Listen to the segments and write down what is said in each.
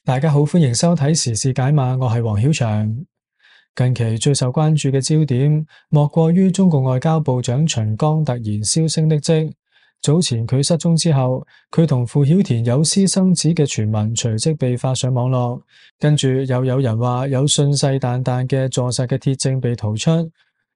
大家好，歡迎收睇時事解碼，我係黃曉翔。近期最受關注嘅焦點，莫過於中共外交部長秦剛突然銷聲匿跡。早前佢失蹤之後，佢同傅曉田有私生子嘅傳聞隨即被發上網絡，跟住又有人話有信誓旦旦嘅坐實嘅鐵證被逃出。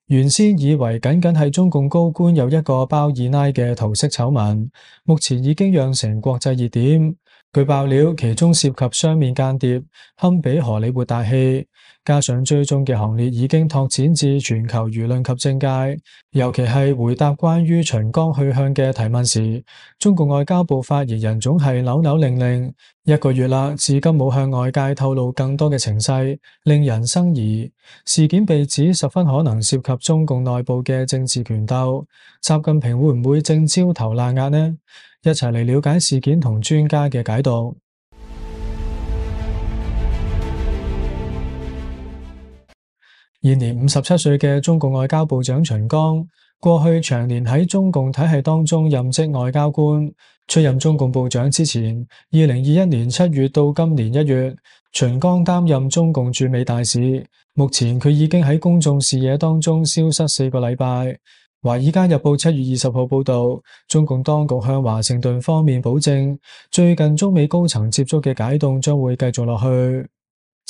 原先以為僅僅係中共高官有一個包二奶嘅桃色醜聞，目前已經釀成國際熱點。據爆料，其中涉及雙面間諜，堪比荷里活大戲。加上追蹤嘅行列已經拓展至全球輿論及政界，尤其係回答關於秦剛去向嘅提問時，中共外交部發言人總係扭扭擰擰。一個月啦，至今冇向外界透露更多嘅情勢，令人生疑。事件被指十分可能涉及中共內部嘅政治權鬥，習近平會唔會正焦頭爛額呢？一齊嚟了解事件同專家嘅解讀。現年57歲嘅中共外交部長秦剛，過去長年喺中共體系當中任職外交官。出任中共部長之前，2021年7月到今年1月，秦剛擔任中共駐美大使。目前佢已經喺公眾視野當中消失4個禮拜。華爾街日報7月20號報道，中共當局向華盛頓方面保證，最近中美高層接觸嘅解凍將會繼續落去。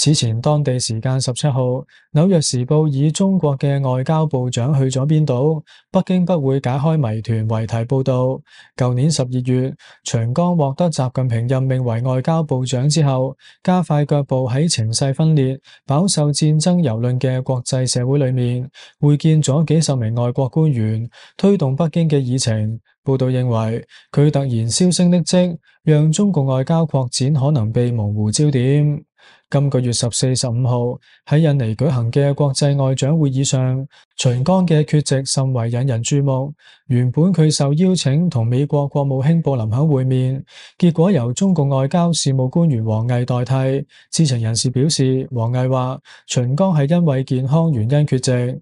此前當地時間17號，紐約時報以中國嘅外交部長去咗邊度，北京不會解開謎團為題報道。舊年12月，秦剛獲得習近平任命為外交部長之後，加快腳步喺情勢分裂、飽受戰爭蹂躪嘅國際社會裏面，會見咗幾十名外國官員，推動北京嘅議程。報道認為，佢突然銷聲匿跡，讓中共外交擴展可能被模糊焦點。今個月14、15號喺印尼舉行嘅國際外長會議上，秦剛嘅缺席甚為引人注目。原本佢受邀請同美國國務卿布林肯會面，結果由中共外交事務官員王毅代替。知情人士表示，王毅話秦剛係因為健康原因缺席。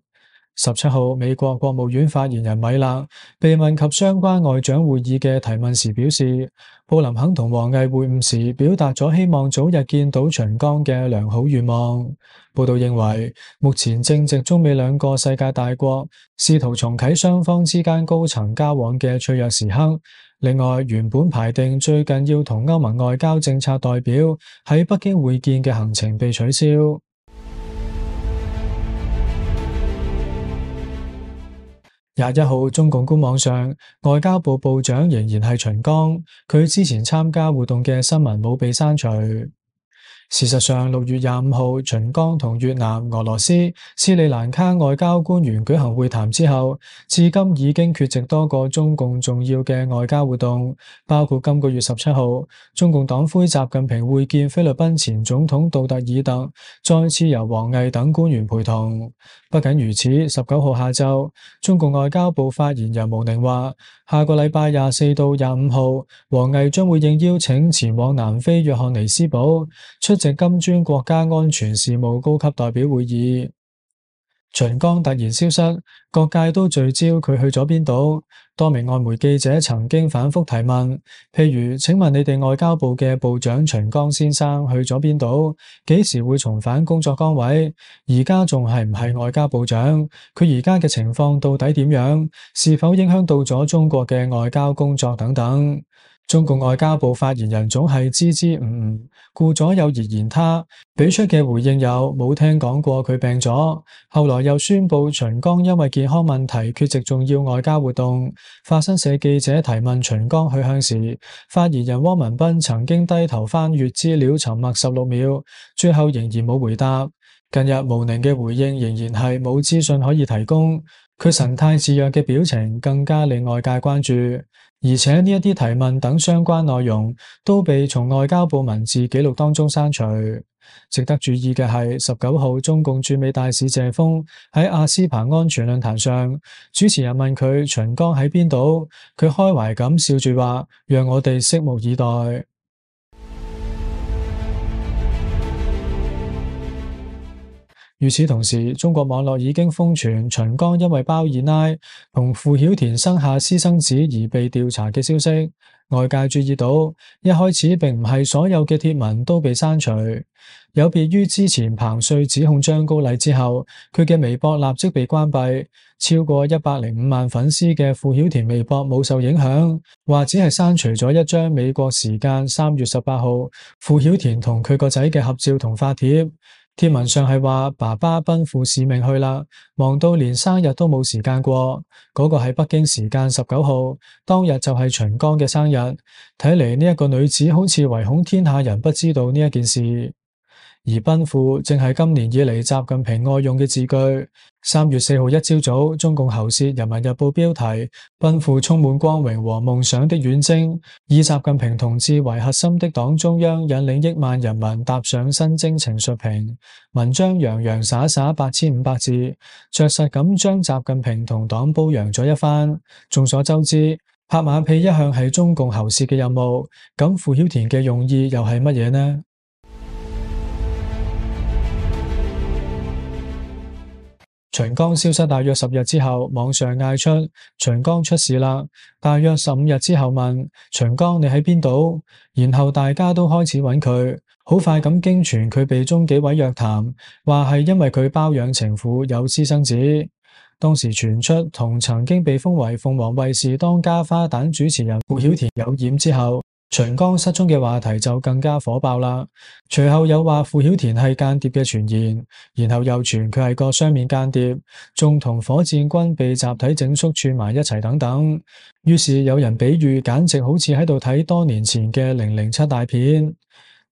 17號，美國國務院發言人米勒被問及相關外長會議嘅提問時表示，布林肯同王毅會晤時表達咗希望早日見到秦剛嘅良好願望。報道認為，目前正值中美兩個世界大國試圖重啟雙方之間高層交往嘅脆弱時刻。另外，原本排定最近要同歐盟外交政策代表喺北京會見嘅行程被取消。21號，中共官網上，外交部部長仍然係秦剛，佢之前參加活動嘅新聞冇被刪除。事實上，6月25號，秦剛同越南、俄羅斯、斯里蘭卡外交官員舉行會談之後，至今已經缺席多個中共重要嘅外交活動，包括今個月17號，中共黨魁習近平會見菲律賓前總統杜特爾特，再次由王毅等官員陪同。不僅如此，19號下晝，中共外交部發言人毛寧話，下個禮拜24到25號，王毅將會應邀請前往南非約翰尼斯堡出席金磚國家安全事務高級代表會議。秦剛突然消失，各界都聚焦佢去咗邊度。多名外媒記者曾經反覆提問，譬如，請問你哋外交部嘅部長秦剛先生去咗邊度？幾時會重返工作崗位？而家仲係唔係外交部長？佢而家嘅情況到底點樣？是否影響到咗中國嘅外交工作等等？中共外交部發言人總係支支吾吾，顧左右而言他，俾出嘅回應有冇聽講過佢病咗，後來又宣布秦剛因為健康問題缺席重要外交活動。法新社記者提問秦剛去向時，發言人汪文斌曾經低頭翻閱資料沉默16秒，最後仍然冇回答。近日毛寧嘅回應仍然係冇資訊可以提供，佢神態自若嘅表情更加令外界關注。而且呢一啲提問等相關內容都被從外交部文字記錄當中刪除。值得注意嘅係，19號中共駐美大使謝鋒喺阿斯彭安全論壇上，主持人問佢秦剛喺邊度，佢開懷咁笑住話，讓我哋拭目以待。與此同時，中國網絡已經瘋傳秦剛因為包二奶同傅曉田生下私生子而被調查嘅消息。外界注意到，一開始並唔係所有嘅貼文都被刪除。有別於之前彭帥指控張高麗之後，佢嘅微博立即被關閉。超過105萬粉絲嘅傅曉田微博冇受影響，或只係刪除咗一張美國時間3月18號傅曉田同佢個仔嘅合照同發帖。貼文上係話爸爸奔赴使命去啦，忙到連生日都冇時間過。嗰個係北京時間19號，當日就係秦剛嘅生日。睇嚟呢一個女子好似唯恐天下人不知道呢一件事。而奔赴正係今年以嚟習近平愛用嘅字句。3月4號一朝早，中共喉舌《人民日報》標題：奔赴充滿光榮和夢想的遠征，以習近平同志為核心的黨中央引領億萬人民踏上新征程述評。文章洋洋灑灑8500字，着實咁將習近平同黨褒揚咗一番。眾所周知，拍馬屁一向係中共喉舌嘅任務，咁傅曉田嘅用意又係乜嘢呢？秦剛消失大約10日之後，網上嗌出秦剛出事啦。大約15日之後問秦剛你喺邊度？然後大家都開始揾佢，好快咁經傳佢被中紀委約談，話係因為佢包養情婦有私生子。當時傳出同曾經被封為鳳凰衛視當家花旦主持人傅曉田有染之後，秦剛失蹤嘅話題就更加火爆啦。隨後有話傅曉田係間諜嘅傳言，然後又傳佢係個雙面間諜，仲同火箭軍被集體整肅串埋一齊等等。於是有人比喻，簡直好似喺度睇多年前嘅007大片。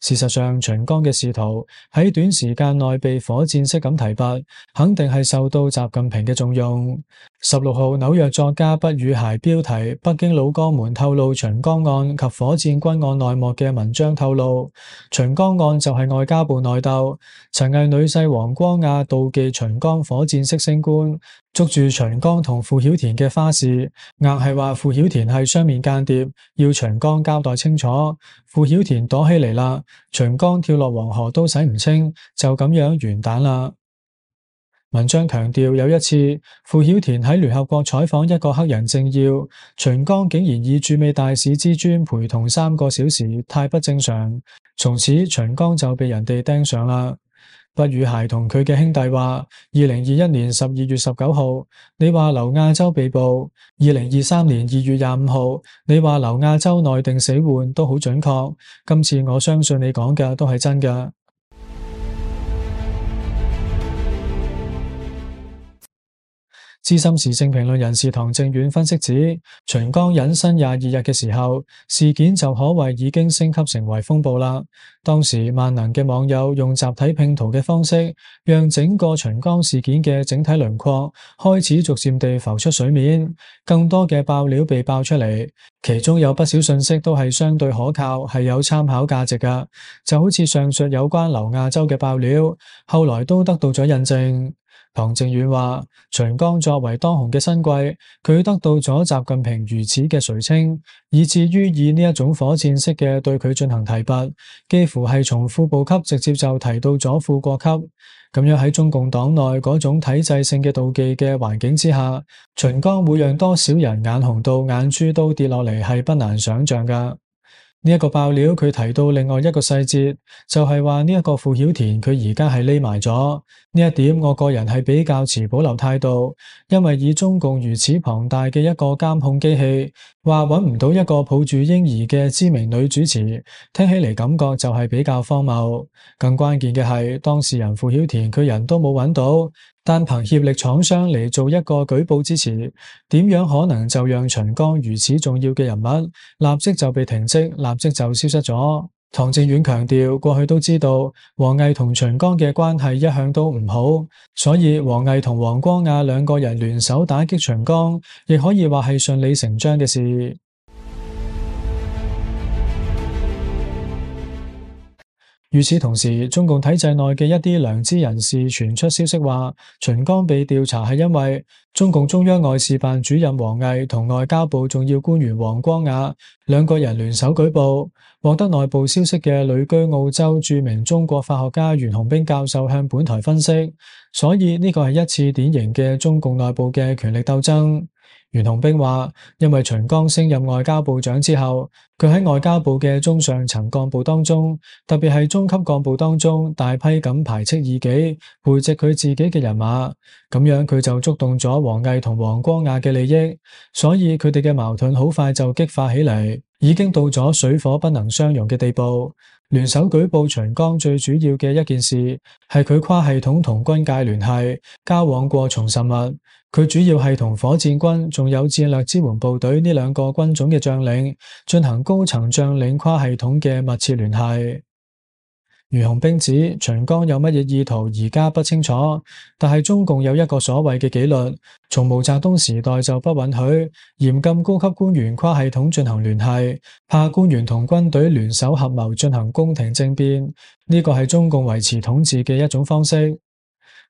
事實上，秦剛嘅仕途喺短時間內被火箭式咁提拔，肯定係受到習近平嘅重用。16號紐約作家畢宇諧標題北京老江們透露秦剛案及火箭軍案內幕嘅文章透露，秦剛案就係外交部內鬥，陳毅女婿王光亞妒忌秦剛火箭式升官，捉住秦剛同傅曉田嘅花事，硬係話傅曉田係雙面間諜，要秦剛交代清楚。傅曉田躲起嚟啦，秦剛跳落黃河都洗唔清，就咁樣完蛋啦。文章強調有一次，傅曉田喺聯合國採訪一個黑人政要，秦剛竟然以駐美大使之尊陪同3個小時，太不正常。從此秦剛就被人哋盯上啦。畢宇諧同佢嘅兄弟話，2021年12月19號，你話劉亞洲被捕；2023年2月25號，你話劉亞洲內定死緩都好準確。今次我相信你講嘅都係真㗎。資深時政評論人士唐正遠分析指，秦剛隱身22日嘅時候，事件就可謂已經升級成為風暴啦。當時萬能嘅網友用集體拼圖嘅方式，讓整個秦剛事件嘅整體輪廓開始逐漸地浮出水面，更多嘅爆料被爆出嚟，其中有不少信息都係相對可靠，係有參考價值㗎。就好似上述有關劉亞洲嘅爆料，後來都得到咗印證。唐正遠話，秦剛作為當紅嘅新貴，佢得到咗習近平如此嘅垂青，以至於以呢一種火箭式嘅對佢進行提拔，幾乎係從副部級直接就提到咗副國級。咁樣喺中共黨內嗰種體制性嘅妒忌嘅環境之下，秦剛會讓多少人眼紅到眼珠都跌落嚟，係不難想象噶。呢一個爆料佢提到另外一個細節，就係話呢一個傅曉田佢而家係匿埋咗。呢一點我個人係比較持保留態度，因為以中共如此龐大嘅一個監控機器，話揾唔到一個抱住嬰兒嘅知名女主持，聽起嚟感覺就係比較荒謬。更關鍵嘅係當事人傅曉田佢人都冇揾到，單憑協力廠商嚟做一個舉報支持，點樣可能就讓秦剛如此重要嘅人物立即就被停職，立即就消失咗？唐正遠強調，過去都知道王毅同秦剛嘅關係一向都唔好，所以王毅同王光亞兩個人聯手打擊秦剛，亦可以話係順理成章嘅事。與此同時，中共體制內嘅一啲良知人士傳出消息話，秦剛被調查係因為中共中央外事辦主任王毅同外交部重要官員王光亞兩個人聯手舉報。獲得內部消息嘅旅居澳洲著名中國法學家袁洪兵教授向本台分析，所以呢個係一次典型嘅中共內部嘅權力鬥爭。袁洪兵話，因為秦剛升任外交部長之後，佢喺外交部嘅中上層幹部當中，特別係中級幹部當中，大批咁排斥異己，培植佢自己嘅人馬，咁樣佢就觸動咗王毅同王光亞嘅利益，所以佢哋嘅矛盾好快就激化起嚟，已經到咗水火不能相容嘅地步。聯手舉報秦剛最主要嘅一件事係佢跨系統同軍界聯繫，交往過從甚密。佢主要係同火箭軍仲有戰略支援部隊呢兩個軍種嘅將領進行高層將領跨系統嘅密切聯繫。袁洪兵指秦剛有乜嘢意圖而家不清楚，但係中共有一個所謂嘅紀律，從毛澤東時代就不允許嚴禁高級官員跨系統進行聯繫，怕官員同軍隊聯手合謀進行宮廷政變，呢個係中共維持統治嘅一種方式。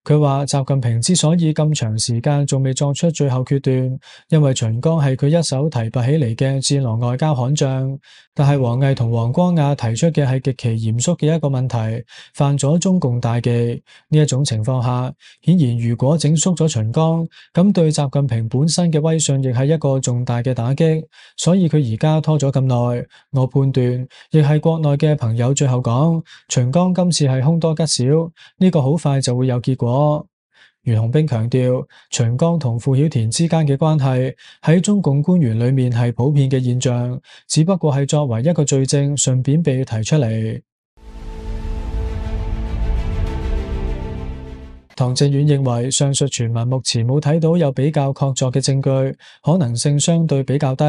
佢話習近平之所以咁長時間仲未作出最後決斷，因為秦剛係佢一手提拔起嚟嘅戰狼外交悍將。但係王毅同王光亞提出嘅係極其嚴肅嘅一個問題，犯咗中共大忌。呢一種情況下，顯然如果整肅咗秦剛，咁對習近平本身嘅威信亦係一個重大嘅打擊。所以佢而家拖咗咁耐，我判斷亦係國內嘅朋友最後講，秦剛今次係凶多吉少，呢個好快就會有結果。袁洪兵強調，秦剛同傅曉田之間嘅關係喺中共官員裏面係普遍嘅現象，只不過係作為一個罪證，順便被提出嚟。唐正遠認為，上述傳聞目前冇睇到有比較確鑿嘅證據，可能性相對比較低。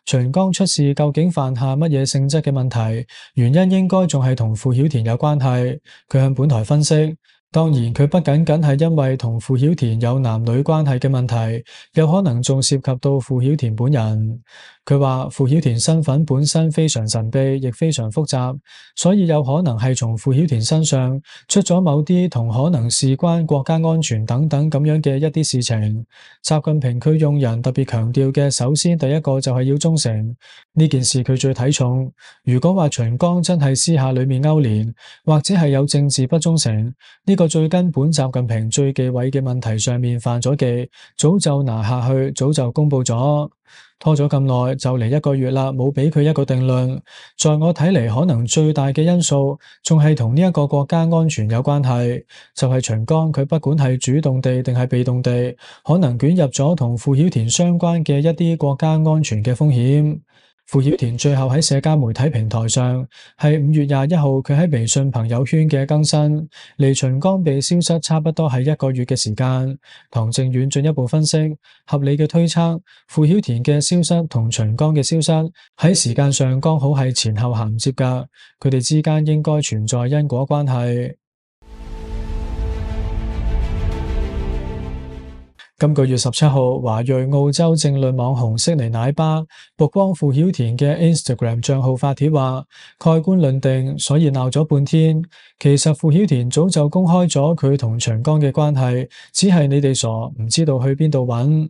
秦剛出事究竟犯下乜嘢性質嘅問題？原因應該仲係同傅曉田有關係。佢向本台分析，當然，佢不僅僅係因為同傅曉田有男女關係嘅問題，有可能仲涉及到傅曉田本人。佢話傅曉田身份本身非常神秘，亦非常複雜，所以有可能係從傅曉田身上出咗某啲同可能事關國家安全等等咁樣嘅一啲事情。習近平佢用人特別強調嘅，首先第一個就係要忠誠，呢件事佢最睇重。如果話秦剛真係私下裏面勾連，或者係有政治不忠誠，呢個最根本習近平最忌諱嘅問題上面犯咗忌，早就拿下去，早就公布咗。拖咗咁耐，就嚟1個月啦，冇俾佢一個定論。在我睇嚟，可能最大嘅因素仲係同呢一個國家安全有關係，就係秦剛佢不管係主動地定係被動地，可能捲入咗同傅曉田相關嘅一啲國家安全嘅風險。傅曉田最後喺社交媒體平台上係5月21號佢喺微信朋友圈嘅更新，離秦剛被消失差不多係1個月嘅時間。唐正遠進一步分析，合理嘅推測，傅曉田嘅消失同秦剛嘅消失喺時間上剛好係前後銜接㗎，佢哋之間應該存在因果關係。今個月17號，華裔澳洲政論網紅悉尼奶爸曝光傅曉田嘅 Instagram 賬號發帖話，蓋棺論定，所以鬧咗半天。其實傅曉田早就公開咗佢同秦剛嘅關係，只係你哋傻，唔知道去邊度揾。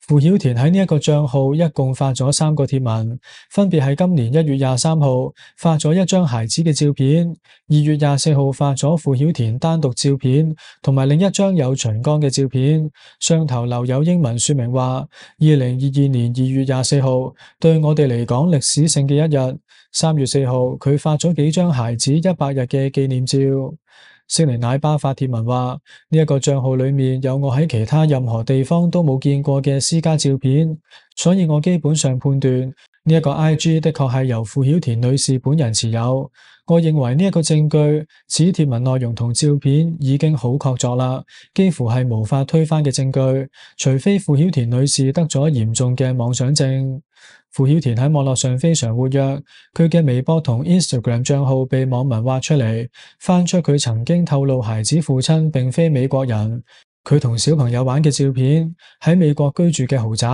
傅曉田喺呢一個賬號一共發咗3個貼文，分別係今年1月23號發咗一張孩子嘅照片，2月24號發咗傅曉田單獨照片，同埋另一張有秦剛嘅照片。上頭留有英文說明話，2022年2月24號對我哋嚟講歷史性嘅一日。3月4號佢發咗幾張孩子100日嘅紀念照。悉尼奶爸發帖文話，呢一個賬號裏面有我喺其他任何地方都冇見過嘅私家照片，所以我基本上判斷呢一個 IG 的確係由傅曉田女士本人持有。我認為呢一個證據，此帖文內容同照片已經好確鑿啦，幾乎係無法推翻嘅證據，除非傅曉田女士得咗嚴重嘅妄想症。傅曉田喺網絡上非常活躍，佢嘅微博同 Instagram 賬號被網民挖出嚟，翻出佢曾經透露孩子父親並非美國人。佢同小朋友玩嘅照片，喺美國居住嘅豪宅，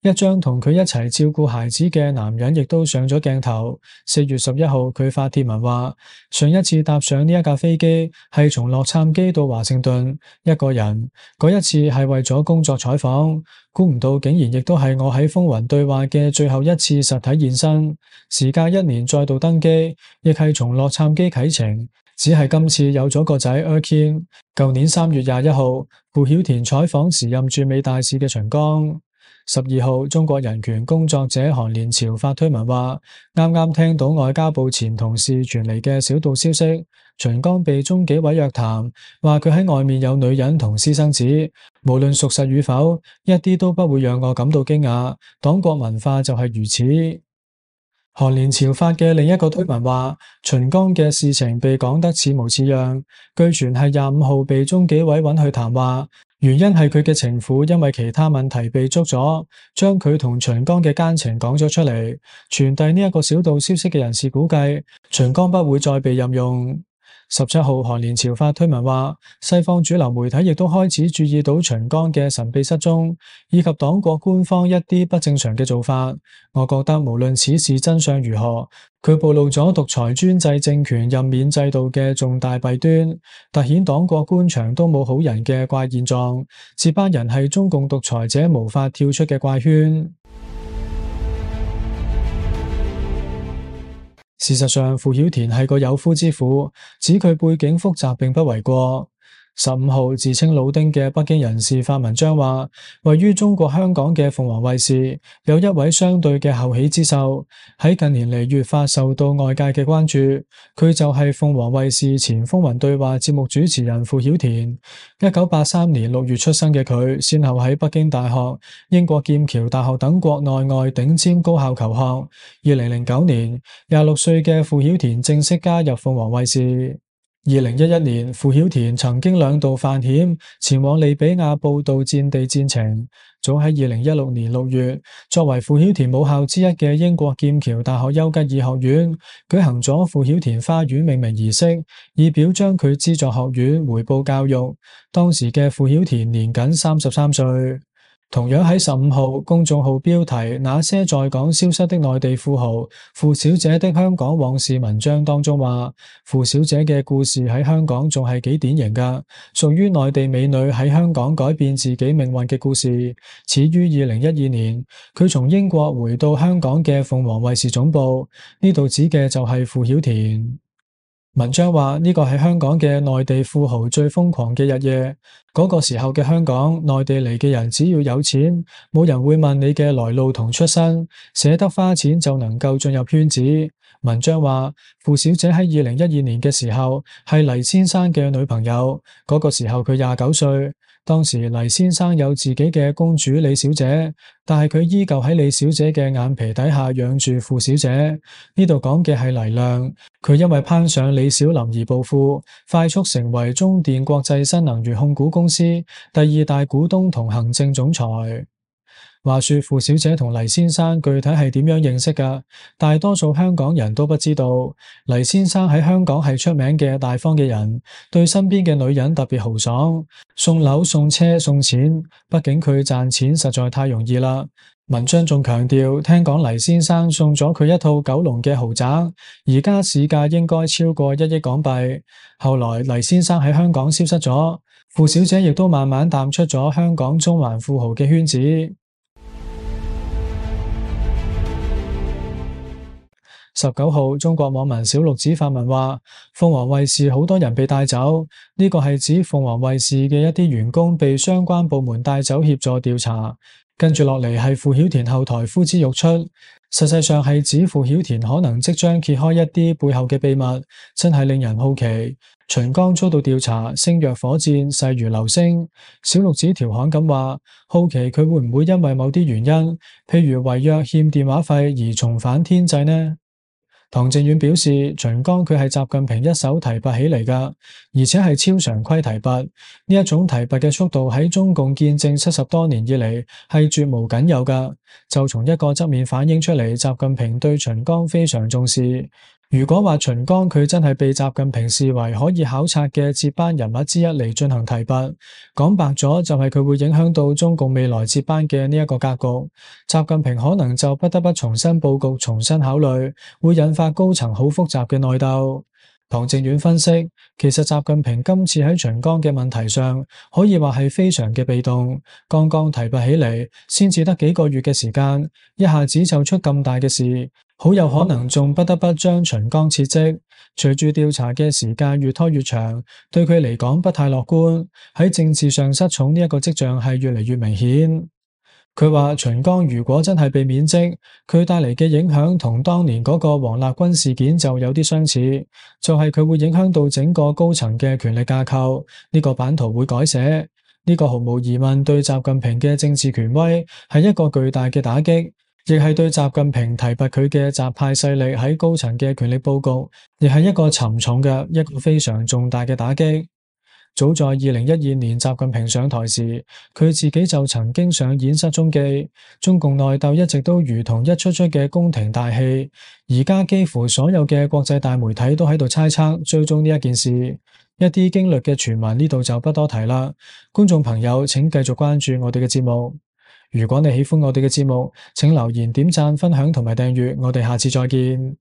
一張同佢一齊照顧孩子嘅男人亦都上咗鏡頭。4月11號，佢發帖文話，上一次搭上呢一架飛機係從洛杉磯到華盛頓，一個人，嗰一次係為咗工作採訪，估唔到竟然亦都係我喺風雲對話嘅最後一次實體現身。時隔1年再度登機，亦係從洛杉磯啟程。只係今次有咗個仔 Erkin。舊年3月21號，傅曉田採訪時任駐美大使嘅秦剛。12號，中國人權工作者韓連朝發推文話，啱啱聽到外交部前同事傳嚟嘅小道消息，秦剛被中紀委約談，話佢喺外面有女人同私生子，無論屬實與否，一啲都不會讓我感到驚訝。黨國文化就係如此。韓連朝發嘅另一個推文話，秦剛嘅事情被講得似模似樣，據傳係25號被中紀委揾去談話，原因係佢嘅情婦因為其他問題被捉咗，將佢同秦剛嘅奸情講咗出嚟。傳遞呢一個小道消息嘅人士估計，秦剛不會再被任用。17號，韓連朝發推文話，西方主流媒體亦都開始注意到秦剛嘅神秘失蹤，以及黨國官方一啲不正常嘅做法。我覺得無論此事真相如何，佢暴露咗獨裁專制政權任免制度嘅重大弊端，凸顯黨國官場都冇好人嘅怪現狀，接班人係中共獨裁者無法跳出嘅怪圈。事實上，傅曉田係個有夫之婦，指佢背景複雜並不為過。15號，自稱老丁嘅北京人士發文章話，位於中國香港嘅鳳凰衛視有一位相對嘅後起之秀，喺近年嚟越發受到外界嘅關注。佢就係鳳凰衛視前風雲對話節目主持人傅曉田。1983年6月出生嘅佢，先後喺北京大學、英國劍橋大學等國內外頂尖高校求學。2009年，26歲嘅傅曉田正式加入鳳凰衛視。2011年，傅曉田曾經2度犯險前往利比亞報道戰地戰情。早喺2016年6月，作為傅曉田母校之一嘅英國劍橋大學丘吉爾學院舉行咗傅曉田花園命名儀式，以表彰佢資助學院回報教育。當時嘅傅曉田年僅33歲。同樣喺15號，公眾號標題那些在港消失的內地富豪傅小姐的香港往事文章當中話，傅小姐嘅故事喺香港仲係幾典型㗎，屬於內地美女喺香港改變自己命運嘅故事。始於2012年，佢從英國回到香港嘅鳳凰衛視總部，呢度指嘅就係傅曉田。文章話呢個係香港嘅內地富豪最瘋狂嘅日夜，嗰個時候嘅香港，內地嚟嘅人只要有錢，冇人會問你嘅來路同出身，捨得花錢就能夠進入圈子。文章話傅小姐喺2012年嘅時候係黎先生嘅女朋友，嗰個時候佢29歲。當時黎先生有自己嘅公主李小姐，但係佢依舊喺李小姐嘅眼皮底下養住傅小姐。呢度講嘅係黎亮，佢因為攀上李小琳而暴富，快速成為中電國際新能源控股公司第2大股東同行政總裁。話說傅小姐同黎先生具體係點樣認識㗎？大多數香港人都不知道。黎先生喺香港係出名嘅大方嘅人，對身邊嘅女人特別豪爽，送樓送車送錢，畢竟佢賺錢實在太容易啦。文章仲強調，聽講黎先生送咗佢一套九龍嘅豪宅，而家市價應該超過1億港幣。後來黎先生喺香港消失咗，傅小姐亦都慢慢淡出咗香港中環富豪嘅圈子。19號，中國網民小六子發文話，鳳凰衛視好多人被帶走，呢個係指鳳凰衛視嘅一啲員工被相關部門帶走協助調查。跟住落嚟係傅曉田後台呼之欲出，實際上係指傅曉田可能即將揭開一啲背後嘅秘密，真係令人好奇。秦剛遭到調查，聲若火箭，勢如流星。小六子調侃咁話，好奇佢會唔會因為某啲原因，譬如違約欠電話費而重返天際呢？唐靖遠表示，秦剛佢係習近平一手提拔起嚟㗎，而且係超常規提拔。呢一種提拔嘅速度喺中共建政70多年以嚟係絕無僅有㗎。就從一個側面反映出嚟，習近平對秦剛非常重視。如果話秦剛佢真係被習近平視為可以考察嘅接班人物之一嚟進行提拔，講白咗就係佢會影響到中共未來接班嘅呢一個格局。習近平可能就不得不重新佈局、重新考慮，會引發高層好複雜嘅內鬥。唐正遠分析，其實習近平今次喺秦剛嘅問題上，可以話係非常嘅被動，剛剛提拔起嚟，先至得幾個月嘅時間，一下子就出咁大嘅事。好有可能仲不得不將秦剛撤職，隨住調查嘅時間越拖越長，對佢嚟講不太樂觀。喺政治上失寵呢一個跡象係越嚟越明顯。佢話秦剛如果真係被免職，佢帶嚟嘅影響同當年嗰個王立軍事件就有啲相似，就係佢會影響到整個高層嘅權力架構，呢個版圖會改寫，呢個毫無疑問對習近平嘅政治權威係一個巨大嘅打擊。亦係對習近平提拔佢嘅習派勢力喺高層嘅權力佈局，亦係一個沉重嘅一個非常重大嘅打擊。早在2012年習近平上台時，佢自己就曾經上演失蹤記。中共內鬥一直都如同一出出嘅宮廷大戲，而家幾乎所有嘅國際大媒體都喺度猜測追蹤呢一件事。一啲驚慄嘅傳聞呢度就不多提啦。觀眾朋友請繼續關注我哋嘅節目。如果你喜歡我哋嘅節目，請留言、點讚、分享同埋訂閱，我哋下次再見。